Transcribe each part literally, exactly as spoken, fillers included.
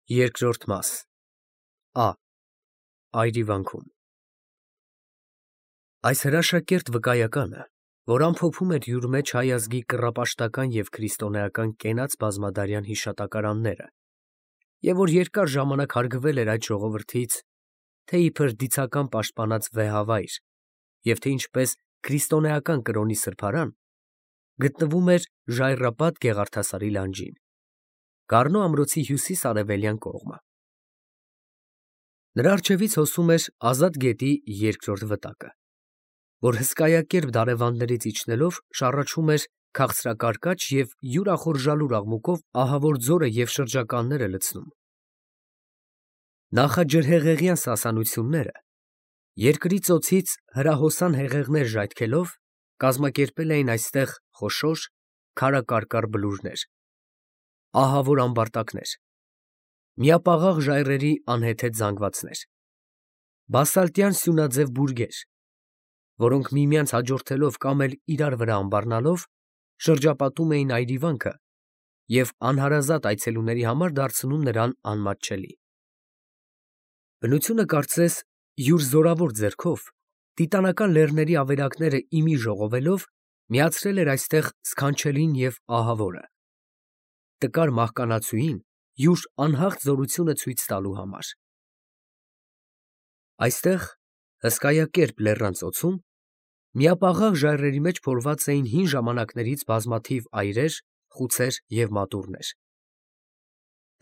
Երկրորդ մաս Ա. Այրիվանքում Այս հրաշակերտ վկայականը, որ ամփոփում էր յուր մեջ հայ ազգի կռապաշտական և քրիստոնեական կենաց բազմադարյան հիշատակարանները և որ երկար ժամանակ հարգվել էր այդ ժողովրդից, թե իբր դիցական պաշտպանած վեհավայր և թե ինչպես քրիստոնեական կրոնի սրբարան, գտնվում էր Ժայռապատ Գեղարդասարի լանջին, Գառնու ամրոցի հյուսիս֊արևելյան կողմը։ Նրա առջևից հոսում էր Ազատ գետի երկրորդ վտակը, որ հսկայակերպ դարևանդներից իջնելով շառաչում էր քաղցրակարկաչ և յուրախորժալուր աղմուկով ահավոր ձորը և շրջականները լցնում։ Նախաջրհեղեղյան սասանությունները, երկրի ծոցից հրահոսան հեղեղներ ժայթքելով, կազմակերպել էին այստեղ խոշոր, քարակարկառ բլուրներ, ահավոր ամբարտակներ, միապաղաղ ժայռերի անհեթեթ զանգվածներ, բասալտյան սյունաձև բուրգեր, որոնք միմյանց հաջորդելով կամ էլ իրար վրա ամբառնալով, շրջապատում էին այրիվանքը և անհարազատ այցելուների համար դարձնում նրան անմատչելի։ Բնությունը կարծես յուր զորավոր ձեռքով, տիտանական լեռների ավերակները ի մի ժողովելով, միացրել էր այստեղ սքանչելին և ահավորը, տկար մահկանացուին յուր անհաղթ զորությունը ցույց տալու համար։ Այստեղ, հսկայակերպ լեռան ծոցում, միապաղաղ ժայռերի մեջ փորված էին հին ժամանակներից բազմաթիվ այրեր, խուցեր և մատուռներ։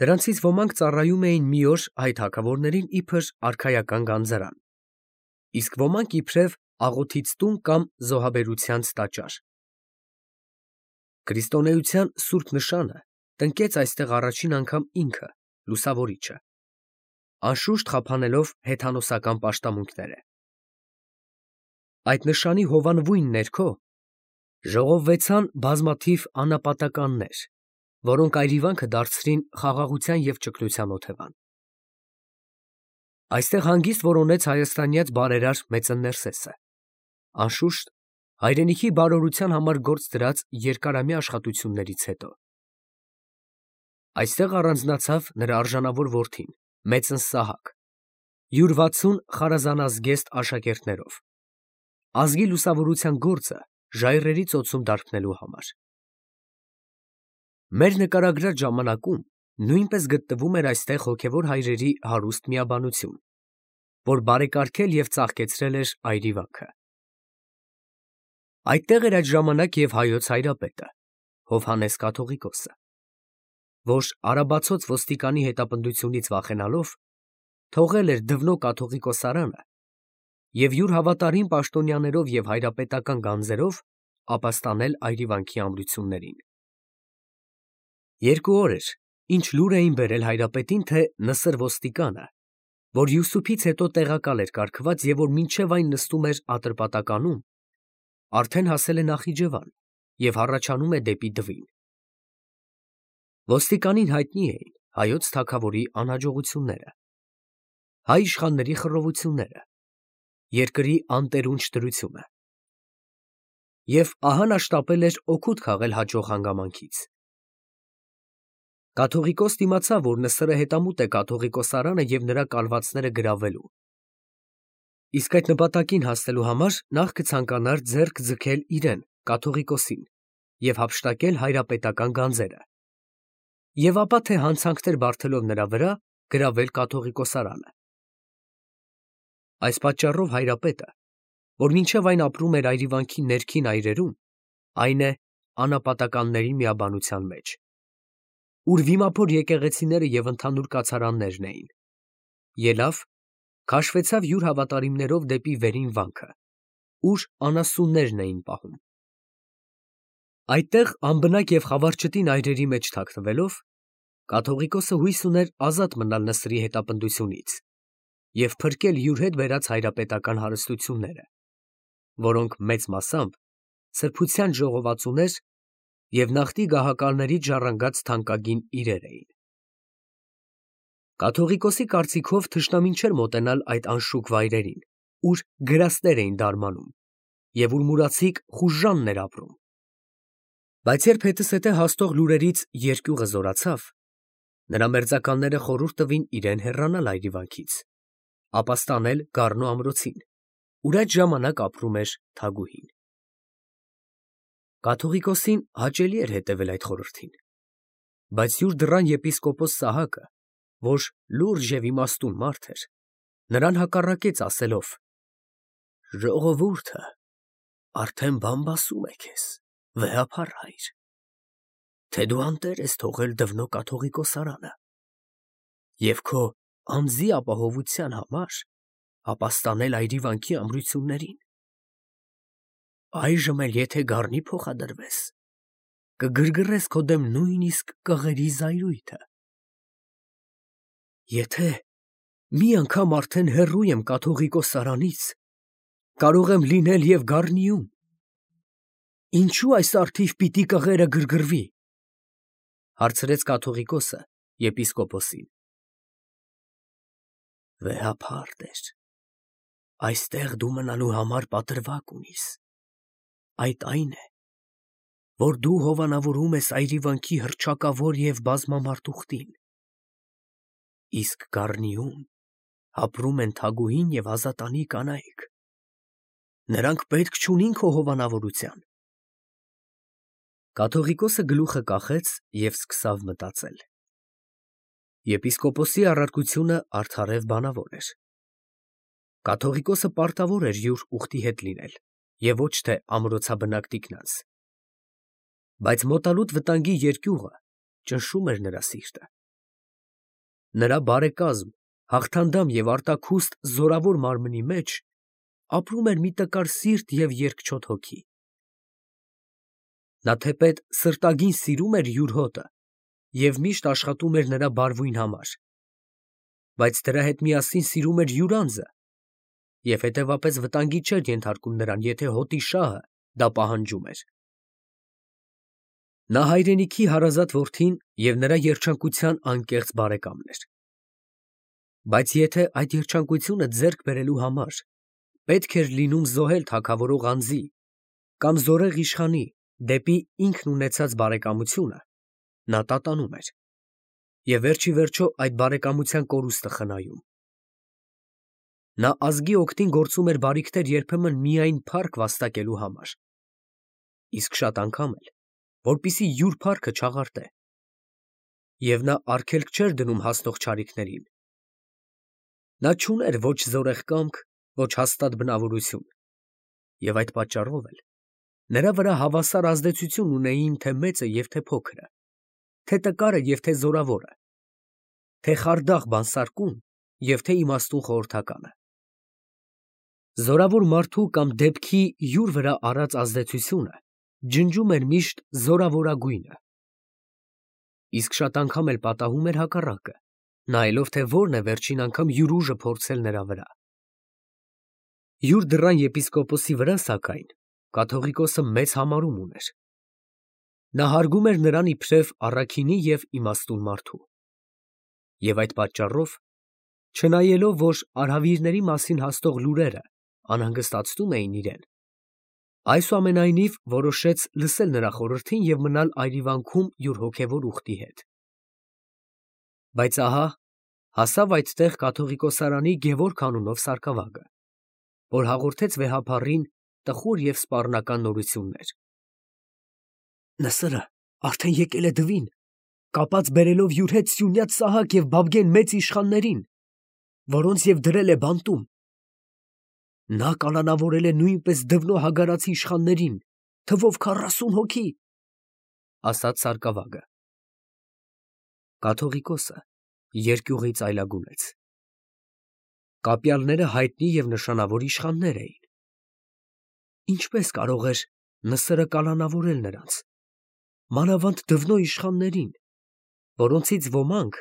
Դրանցից ոմանք ծառայում էին մի օր հայ թագավորներին իբր արքայական գանձարան, իսկ ոմանք իբրև աղոթից տուն կամ զոհաբերությանց տաճար։ Քրիստոնեության սուրբ նշանը տնկեց այստեղ առաջին անգամ ինքը՝ Լուսավորիչը, անշուշտ խափանելով հեթանոսական պաշտամունքները։ Այդ նշանի հովանվույն ներքո ժողովվեցան բազմաթիվ անապատականներ, որոնք այրիվանքը դարձրին խաղաղության և ճգնության օթևան։ Այստեղ հանգիստ որոնեց հայաստանյաց բարերար մեծն Ներսեսը, անշուշտ, հայրենիքի բարօրության համար գործ դրած երկարամյա աշխատություններից հետո։ Այստեղ առանձնացավ նրա արժանավոր որդին, մեծն Սահակ, յուր վաթսուն խարազանազգեստ աշակերտներով, ազգի լուսավորության գործը ժայռերի ծոցում դարբնելու համար։ Մեր նկարագրած ժամանակում նույնպես գտնվում էր այստեղ հոգևոր հայրերի հարուստ միաբանություն, որ բարեկարգել և ծաղկեցրել էր այրիվանքը։ Այդտեղ էր այդ ժամանակ և հայոց հայրապետը՝ Հովհաննես կաթողիկոսը, որ արաբացոց ոստիկանի հետապնդությունից վախենալով, թողել էր Դվնո կաթողիկոսարանը և յուր հավատարիմ պաշտոնյաներով և հայրապետական գանձերով ապաստանել այրիվանքի ամրություններին։ Երկու օր էր, ինչ լուր էին բերել հայրապետին, թե Նսր ոստիկանը, որ Յուսուփից հետո տեղակալ էր կարգված և որ մինչև այն նստում էր Ատրպատականում, արդեն հասել է Նախիջևան և հառաչանում է դեպի Դվին։ Ոստիկանին հայտնի էին հայոց թագավորի անհաջողությունները, հայ իշխանների խռովությունները, երկրի անտերունջ դրությունը։ Եվ ահա նա շտապել էր օգուտ քաղել հաջող հանգամանքից։ Կաթողիկոսն իմացավ, որ Նսրը հետամուտ է կաթողիկոսարանը և նրա կալվածները գրավելու, իսկ այդ նպատակին հասնելու համար նախ կցանկանար ձեռք ձգել իրեն՝ կաթողիկոսին, և հափշտակել հայրապետական գանձերը, և ապա թե հանցանքներ բարդելով նրա վրա, գրավել կաթողիկոսարանը։ Այս պատճառով հայրապետը, որ մինչև այն ապրում էր այրիվանքի ներքին այրերում, այն է անապատականների միաբանության մեջ, ուր վիմափոր եկեղեցիները և ընդհանուր կացարաններն էին, ելավ, քաշվեցավ յուր հավատարիմներով դեպի վերին վանքը, ուր անասուններն էին պահում։ Այդտեղ անբնակ և խավարճտին այրերի մեջ թաքնվելով, կաթողիկոսը հույս ուներ ազատ մնալ Նսրի հետապնդությունից և փրկել յուր հետ բերած հայրապետական հարստությունները, որոնք մեծ մասամբ սրբության ժողովածուներ և նախկին գահակալներից ժառանգած թանկագին իրեր էին։ Կաթողիկոսի կարծիքով թշնամին չէր մոտենալ այդ անշուք վայրերին, ուր գրաստներ էին դարմանում և ուր մուրացիկ խուժժանն էր ապրում։ Բայց երբ հետզհետե հասնող լուրերից երկյուղը զորացավ, Նրա մերձականները խորհուրդ տվին իրեն հեռանալ այրիվանքից, ապա ստանել գառնու ամրոցին, ուր այդ ժամանակ ապրում էր Թագուհին։ Կաթողիկոսին հաճելի էր հետևել այդ խորհրդին, բայց յուր դռան եպիսկոպոս Սահակը, որ լուրջ և իմաստուն մարդ էր, նրան հակառակեց, ասելով. «Ժողովուրդը արդեն բամբասում է քեզ, վեհափառ հայր, թե դու անտեր ես թողել Դվնո կաթողիկոսարանը և քո անձի ապահովության համար ապաստանել այրիվանքի ամրություններին։ Այժմ էլ եթե գառնի փոխադրվես, կգրգռես քո դեմ նույնիսկ կղերի զայրույթը։ Եթե մի անգամ արդեն հեռու եմ կաթողիկոսարանից, կարող եմ լինել և գառնիում, ինչո՞ւ այս առթիվ պիտի կղերը գրգռվի, հարցրեց կաթողիկոսը եպիսկոպոսին։ Վեհափառ տեր, այստեղ դու մնալու համար պատրվակ ունիս, այդ այն է, որ դու հովանավորում ես այրիվանքի հռչակավոր և բազմամարդ ուխտին, իսկ գառնիում ապրում են Թագուհին և ազատանի կանայք, նրանք պետք չունին քո հովանավորության։ Կաթողիկոսը գլուխը կախեց և սկսավ մտածել։ Եպիսկոպոսի առարկությունը արդարև բանավոր էր։ Կաթողիկոսը պարտավոր էր յուր ուխտի հետ լինել և ոչ թե ամրոցաբնակ տիկնանց, բայց մոտալուտ վտանգի երկյուղը ճնշում էր նրա սիրտը։ Նրա բարեկազմ, հաղթանդամ և արտաքուստ զորավոր մարմնի մեջ ապրում էր մի տկար սիրտ և երկչոտ հոգի։ Նա թեպետ սրտագին սիրում էր յուր հոտը և միշտ աշխատում էր նրա բարվույն համար, բայց դրա հետ միասին սիրում էր յուր անձը և հետևապես վտանգի չէր ենթարկում նրան, եթե հոտի շահը դա պահանջում էր։ Նա հայրենիքի հարազատ որդին և նրա երջանկության անկեղծ բարեկամն էր, բայց եթե այդ երջանկությունը ձեռք բերելու համար պետք էր լինում զոհել թագավորող անձի կամ զորեղ իշխանի դեպի ինքն ունեցած բարեկամությունը, նա տատանում էր և վերջիվերջո այդ բարեկամության կորուստը խնայում։ Նա ազգի օգտին գործում էր բարիքներ երբեմն միայն փառք վաստակելու համար, իսկ շատ անգամ էլ, որպեսզի յուր փառքը չաղարտե, և նա արգելք չէր դնում հասնող չարիքներին։ Նա չուներ ոչ զորեղ կամք, ոչ հաստատ բնավորություն, և այդ պատճառով էլ նրա վրա հավասար ազդեցություն ունեին թե մեծը և թե փոքրը, թե տկարը և թե զորավորը, թե խարդախ բանսարկուն և թե իմաստուն խորհրդականը։ Զորավոր մարդու կամ դեպքի յուր վրա արած ազդեցությունը ջնջում էր միշտ զորավորագույնը, իսկ շատ անգամ էլ պատահում էր հակառակը, նայելով, թե որն է վերջին անգամ յուր ուժը փորձել նրա վրա։ Յուր դռան եպիսկոպոսի վրա, սակայն, կաթողիկոսը մեծ համարում ուներ։ Նա հարգում էր նրան իբրև առաքինի և իմաստուն մարդու։ Եվ այդ պատճառով, չնայելով, որ արհավիրների մասին հասնող լուրերը անհանգստացնում էին իրեն, այսուամենայնիվ որոշեց լսել նրա խորհրդին և մնալ այրիվանքում յուր հոգևոր ուխտի հետ։ Բայց ահա հասավ այդտեղ կաթողիկոսարանի Գևորգ անունով սարկավագը, որ հաղորդեց վեհափառին տխուր և սպառնական նորություններ։ Նսրը արդեն եկել է Դվին, կապած բերելով յուր հետ Սյունյաց Սահակ և Բաբգեն մեծ իշխաններին, որոնց և դրել է բանտում։ Նա կալանավորել է նույնպես Դվնո հագարացի իշխաններին, թվով քառասուն հոգի, ֊ ասաց սարկավագը։ Կաթողիկոսը երկյուղից այլագունեց։ Կապյալները հայտնի և նշանավոր իշխաններ էին։ Ինչպե՞ս կարող էր Նսրը կալանավորել նրանց, մանավանդ Դվնո իշխաններին, որոնցից ոմանք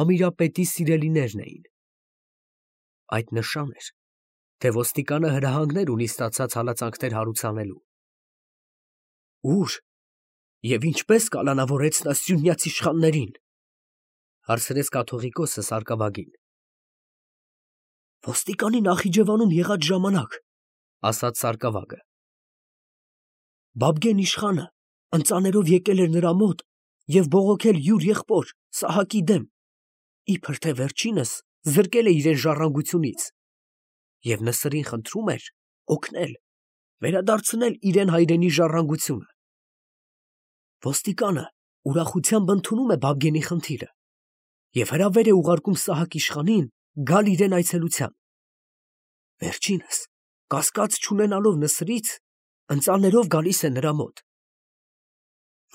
Ամիրապետի սիրելիներն էին։ Այդ նշան էր, թե ոստիկանը հրահանգներ ունի ստացած հալածանքներ հարուցանելու։ Ո՞ւր և ինչպե՞ս կալանավորեց նա սյունյաց իշխաններին, ֊ հարցրեց կաթողիկոսը սարկավագին։ Ոստիկանի Նախիջևանում եղած ժամանակ, ֊ ասաց սարկավագը, Բաբգեն իշխանը ընծաներով եկել էր նրա մոտ և բողոքել յուր եղբոր Սահակի դեմ, իբր թե վերջինս զրկել է իրեն ժառանգությունից և Նսրին խնդրում էր օգնել, վերադարձնել իրեն հայրենի ժառանգությունը։ Ոստիկանը ուրախությամբ ընդունում է Բաբգենի խնդիրը և հրավեր է ուղարկում Սահակ իշխանին գալ իրեն այցելության։ Վերջինս, կասկած չունենալով Նսրից, ընծաներով գալիս է նրա մոտ։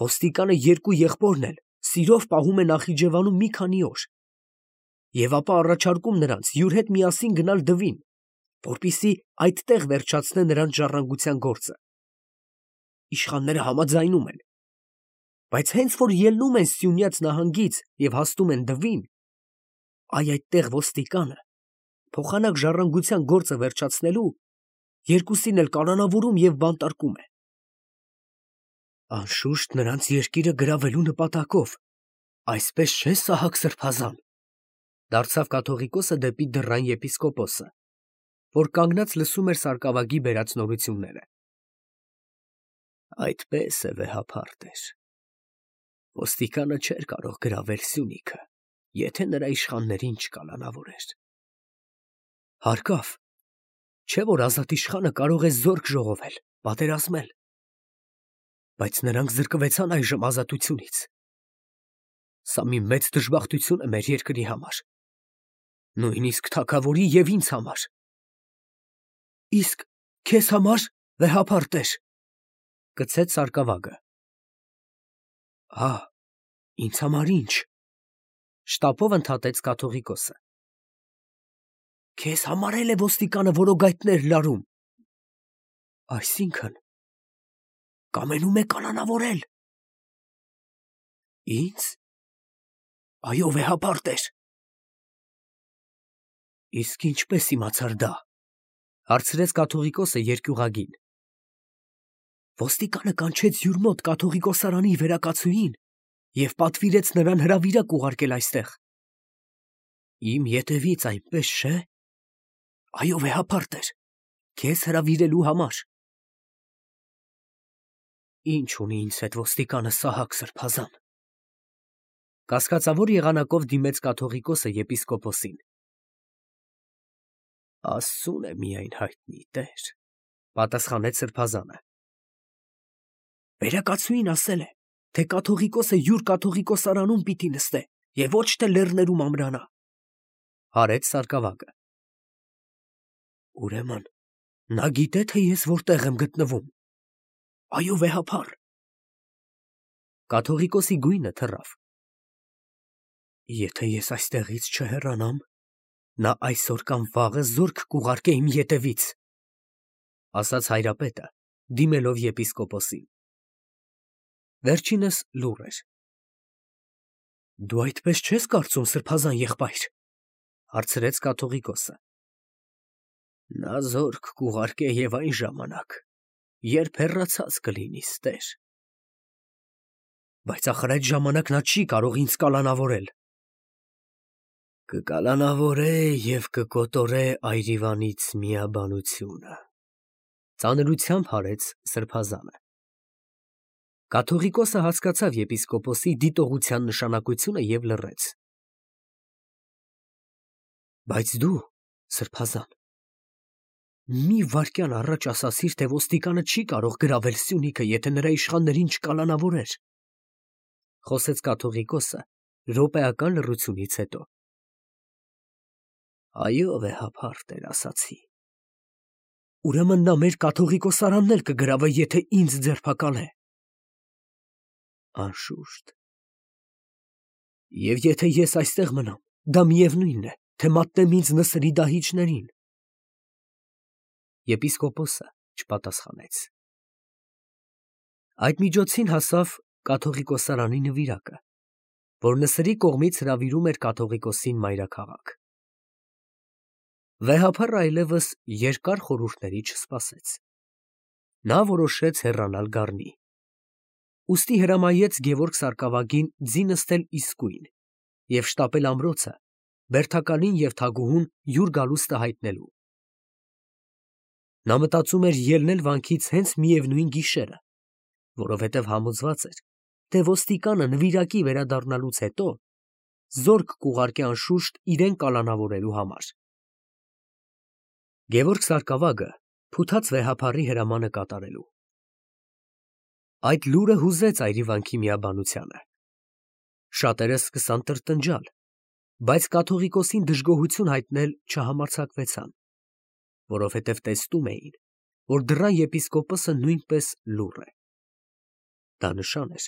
Ոստիկանը երկու եղբորն էլ սիրով պահում է Նախիջևանում մի քանի օր և ապա առաջարկում նրանց յուր հետ միասին գնալ Դվին, որպեսզի այդտեղ վերջացնե նրանց ժառանգության գործը։ Իշխանները համաձայնում են, բայց հենց որ ելնում են Սյունյաց նահանգից և հասնում են Դվին, այ այդտեղ ոստիկանը, փոխանակ ժառանգության գործը վերջացնելու, երկուսին էլ կալանավորում և բանտարկում է։ Անշուշտ նրանց երկիրը գրավելու նպատակով, այսպես չէ՞ Սահակ սրբազան, դարձավ կաթողիկոսը դեպի դռան եպիսկոպոսը, որ կանգնած լսում էր սարկավագի բերած նորությունները։ Այդպես է, վեհափարտ, ոստիկանը չէր կարող գրավել Սյունիքը, եթե նրա իշխաններին չկալանավորեր։ Հարկավ, չէ՞ որ ազատ իշխանը կարող է զորք ժողովել, պատերազմել, բայց նրանք զրկվեցան այժմ ազատությունից։ Սա մի մեծ դժբախտություն է մեր երկրի համար, նույնիսկ թագավորի և ինձ համար։ Իսկ քեզ համար, վեհափարտ, կցեց սարկավագը։ Ա, ինձ համար ի՞նչ, շտապով ընդհատեց կաթողիկոսը։ Քեզ համար էլ է ոստիկանը որոգայթներ լարում։ Այսինքն, կամենում է կալանավորել։ Ինձ։ Այո, վեհափարտ։ Իսկ ինչպես իմացար դա, հարցրեց կաթողիկոսը երկյուղագին։ Ոստիկանը կանչեց յուր մոտ կաթողիկոսարանի վերակացուհին և պատվիրեց նրան հրավիրակ ուղարկել այստեղ։ Իմ ետևից, այնպես չէ՞։ Այո, վեհափարտ, քեզ հրավիրելու համար։ Ինչ ունի ինձ հետ ոստիկանը Սահակ սրբազան։ Կասկածավոր եղանակով դիմեց կաթողիկոսը եպիսկոպոսին։ Աստծուն է միայն հայտնի, տեր, պատասխանեց սրբազանը։ Վերակացուհին ասել է, թե կաթողիկոսը յուր կաթողիկոսարանում պիտի նստե և ոչ թե լեռներում ամրանա, հարեց սարկավագը։ Ուրեմն նա գիտե, թե ես որտեղ եմ գտնվում։ Այո, վեհափար։ Կաթողիկոսի գույնը թռավ։ Եթե ես այստեղից չհեռանամ, նա այսօր կամ վաղը զորք կուղարկե իմ ետևից, ասաց հայրապետը, դիմելով եպիսկոպոսին։ Վերջինս լուռ էր։ Դու այդպես չես կարծում, սրբազան եղբայր, հարցրեց կաթողիկոսը։ Նա զորք կուղարկե և այն ժամանակ, երբ հեռացած կլինիս, տեր։ Բայց ախր այդ ժամանակ նա չի կարող ինձ կալանավորել։ Կկալանավորե և կկոտորե այրիվանից միաբանությունը, ծանրությամբ հարեց սրբազանը։ Կաթողիկոսը հասկացավ եպիսկոպոսի դիտողության նշանակությունը և լռեց։ Բայց դու, սրբազան, մի վայրկյան առաջ ասացիր, թե ոստիկանը չի կարող գրավել Սյունիքը, եթե նրա իշխաններին չկալանավորեր, խոսեց կաթողիկոսը րոպեական լռությունից հետո։ Այո, վեհափարտ, ասացի։ Ուրեմն նա մեր կաթողիկոսարանն էլ կգրավե, եթե ինձ ձերբակալե։ Անշուշտ։ Եվ եթե ես այստեղ մնամ, դա միևնույն է, թե մատնեմ ինձ Նսրի դահիճներին։ Եպիսկոպոսը չպատասխանեց։ Այդ միջոցին հասավ կաթողիկոսարանի նվիրակը, որ Նսրի կողմից հրավիրում էր կաթողիկոսին մայրաքաղաք։ Վեհափարը այլևս երկար խորհուրդների չսպասեց։ Նա որոշեց հեռանալ Գառնի։ Ուստի հրամայեց Գևորգ սարկավագին ձի նստել իսկույն և շտապել ամրոցը, բերդակալին և թագուհուն յուր գալուստը հայտնելու։ Նա մտածում էր ելնել վանքից հենց միևնույն գիշերը, որովհետև համոզված էր, թե ոստիկանը նվիրակի վերադառնալուց հետո զորք կուղարկե անշուշտ իրեն կալանավորելու համար։ Գևորգ Սարգսակը փութած վեհափառի հրամանը կատարելու։ Այդ լուրը հուզեց այրիվանքի միաբանությանը։ Շատերը սկսան տրտնջալ, բայց կաթողիկոսին դժգոհություն հայտնել չհամարձակվեցան, որովհետև տեսնում էին, որ դռան եպիսկոպոսը նույնպես լուռ է։ Դա նշան էր,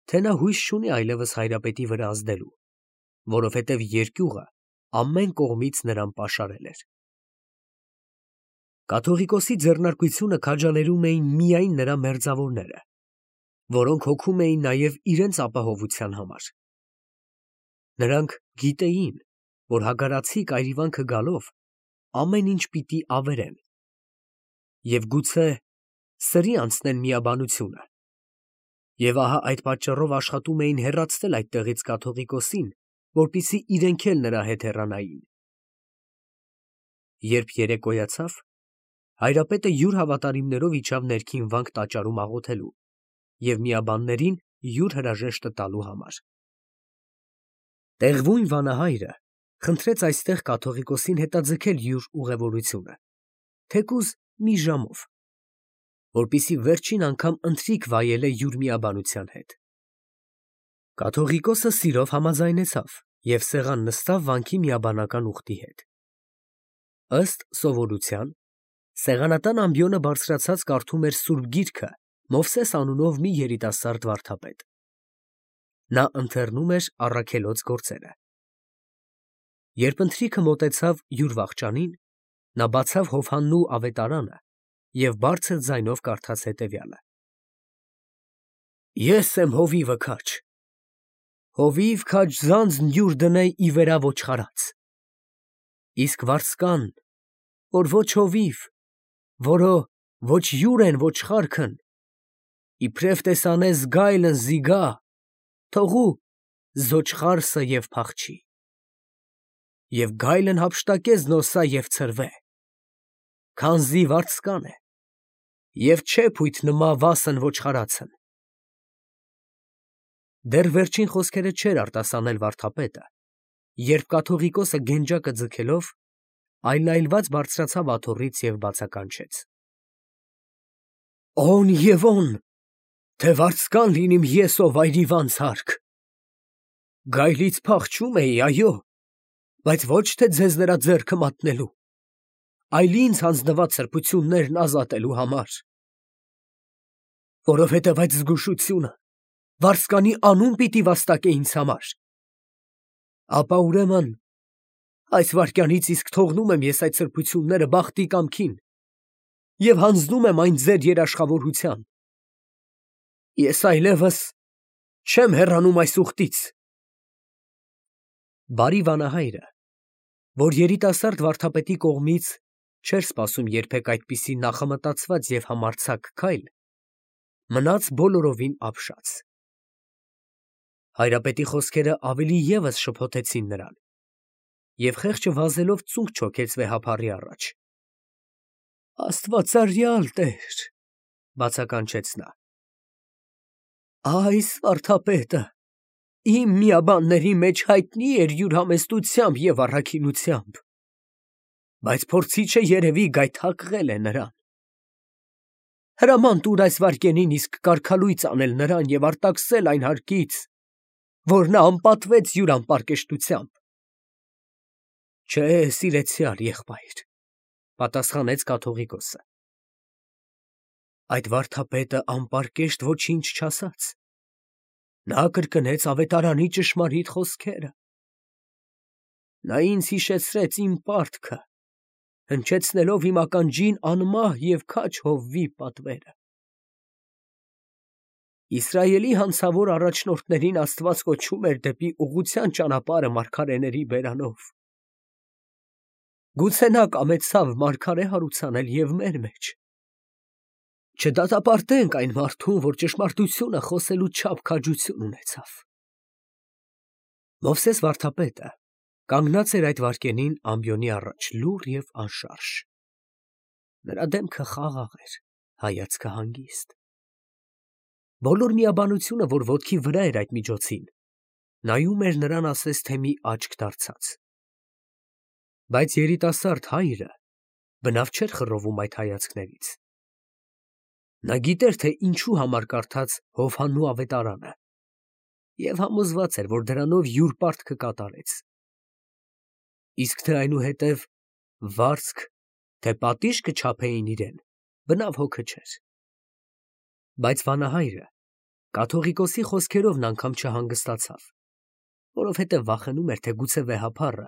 թե նա հույս չունի այլևս հայրապետի վրա ազդելու, որովհետև երկյուղը ամեն կողմից նրան պաշարել էր։ Կաթողիկոսի ձեռնարկությունը քաջալերում էին միայն նրա մերձավորները, որոնք հոգում էին նաև իրենց ապահովության համար։ Նրանք գիտեին, որ հագարացիկ այրիվանքը գալով ամեն ինչ պիտի ավերեն և գուցե սրի անցնեն միաբանությունը, և ահա այդ պատճառով աշխատում էին հեռացնել այդտեղից կաթողիկոսին, որպեսզի իրենք էլ նրա հետ հեռանային։ Երբ երեկոյացավ, հայրապետը յուր հավատարիմներով իջավ ներքին վանք տաճարում աղոթելու և միաբաններին յուր հրաժեշտը տալու համար։ Տեղվույն վանահայրը խնդրեց այստեղ կաթողիկոսին հետաձգել յուր ուղևորությունը, թեկուզ մի ժամով, որպեսզի վերջին անգամ ընթրիք վայելե յուր միաբանության հետ։ Կաթողիկոսը սիրով համաձայնեցավ և սեղան նստավ վանքի միաբանական ուխտի հետ։ Ըստ սովորության, սեղանատան ամբիոնը բարձրացած կարդում էր սուրբ գիրքը Մովսես անունով մի երիտասարդ վարդապետ։ Նա ընթեռնում էր առաքելոց գործերը։ Երբ ընթրիքը մոտեցավ յուր վախճանին, նա բացավ հովհաննու ավետարանը և բարձր ձայնով կարդաց հետևյալը. Ես եմ հովիվը քաջ, հովիվ քաջ ձանձն յուր դնե ի վերա ոչխարած, իսկ վարձկան, որ ոչ հովիվ, որո ոչ յուր են ոչխարքն, իբրև տեսանես գայլն զիգա, թողու զոչխարսը և փախչի, և գայլն հափշտակե զնոսա և ցրվե, քանզի վարձկան է, և չէ փույթ նմա վասն ոչխարացն։ Դեռ վերջին խոսքերը չէր արտասանել վարդապետը, երբ կաթողիկոսը գենջակը ձգելով այլայլված բարձրացավ աթոռից և բացականչեց. Օն և օն, թե վարձկան լինիմ ես, ով այրիվան ցարք, գայլից փախչում էի, այո, բայց ոչ թե ձեզ նրա ձեռքը մատնելու, այլ ինձ հանձնված սրբություններն ազատելու համար, որովհետև այդ զգուշությունը վարձկանի անուն պիտի վաստակե ինձ համար, ապա ուրեմն այս վայրկյանից իսկ թողնում եմ ես այդ սրբությունները բախտի կամքին և հանձնում եմ այն ձեր երաշխավորության, ես այլևս չեմ հեռանում այս ուխտից։ Բարի վանահայրը, որ երիտասարդ վարդապետի կողմից չէր սպասում երբեք այդպիսի նախամտածված և համարձակ քայլ, մնաց բոլորովին ապշած։ Հայրապետի խոսքերը ավելի ևս շփոթեցին նրան, և խեղճը վազելով ծունկ չոքեց վեհափառի առաջ։ Աստվածարյալ Տեր, բացականչեց նա, այս վարդապետը իմ միաբանների մեջ հայտնի էր յուր համեստությամբ և առաքինությամբ, բայց փորձիչը երևի գայթակղել է նրան։ Հրաման տուր այս վայրկենին իսկ կարգալույծ անել նրան և արտաքսել այն հարկից, որ նա անպատվեց յուր անպարկեշտությամբ։ Չէ, սիրեցյալ եղբայր, պատասխանեց կաթողիկոսը, այդ վարդապետը անպարկեշտ ոչինչ չասաց, նա կրկնեց ավետարանի ճշմարիտ խոսքերը։ Նա ինձ հիշեցրեց իմ պարտքը, հնչեցնելով իմ ականջին անմահ և քաջ հովվի պատվերը։ Իսրայելի հանցավոր առաջնորդներին Աստված կոչում էր դեպի ուղղության ճանապարհը մարգարեների բերանով։ Գուցե նա կամեցավ մարգարե հարուցանել և մեր մեջ։ Չդատապարտենք այն մարդուն, որ ճշմարտությունը խոսելու չափ քաջություն ունեցավ։ Մովսես վարդապետը կանգնած էր այդ վայրկենին ամբիոնի առաջ լուռ և անշարժ։ Նրա դեմքը խաղաղ էր, հայացքը հանգիստ։ Բոլոր միաբանությունը, որ ոտքի վրա էր այդ միջոցին, Նայում էր նրան, ասես թե մի աչք դարձած։ Բայց երիտասարդ հայրը բնավ չէր խռովում այդ հայացքներից։ Նա գիտեր, թե ինչու համար կարդաց Հովհաննու ավետարանը և համոզված էր, որ դրանով յուր պարտքը կատարեց։ Իսկ թե այնուհետև վարձք, թե պատիժ կչափեին իրեն, բնավ հոգը չէր։ Բայց վանահայրը կաթողիկոսի խոսքերով անգամ չհանգստացավ, որովհետև վախենում էր, թե գուցե վեհափառը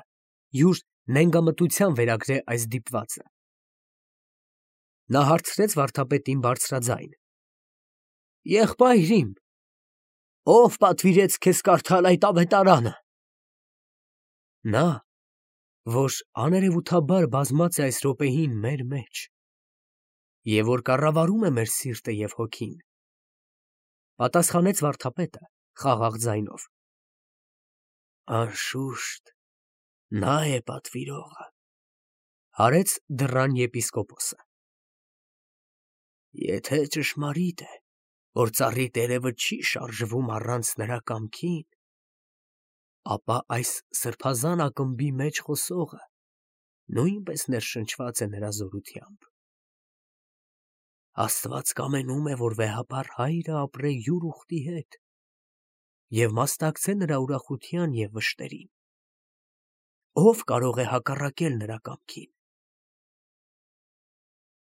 յուր նենգամտության վերագրե այս դիպվածը։ Նա հարցրեց վարդապետին բարձրաձայն. «Եղբայր իմ, ո՞վ պատվիրեց քեզ կարդալ այդ ավետարանը»։ Նա, որ աներևութաբար բազմած է այս րոպեին մեր մեջ, և որ կառավարում է մեր սիրտը և հոգին, պատասխանեց վարդապետը խաղաղ ձայնով. «Անշուշտ, նա է պատվիրողը», հարեց դռան եպիսկոպոսը։ «Եթե ճշմարիտ է, որ ծառի տերևը չի շարժվում առանց նրա կամքին, ապա այս սրբազան ակմբի մեջ խոսողը նույնպես ներշնչված է նրա զորությամբ։ Աստված կամենում է, որ վեհափառ հայրը ապրե յուր ուխտի հետ և մասնակցե նրա ուրախության և վշտերին։ Ո՞վ կարող է հակառակել նրա կամքին»։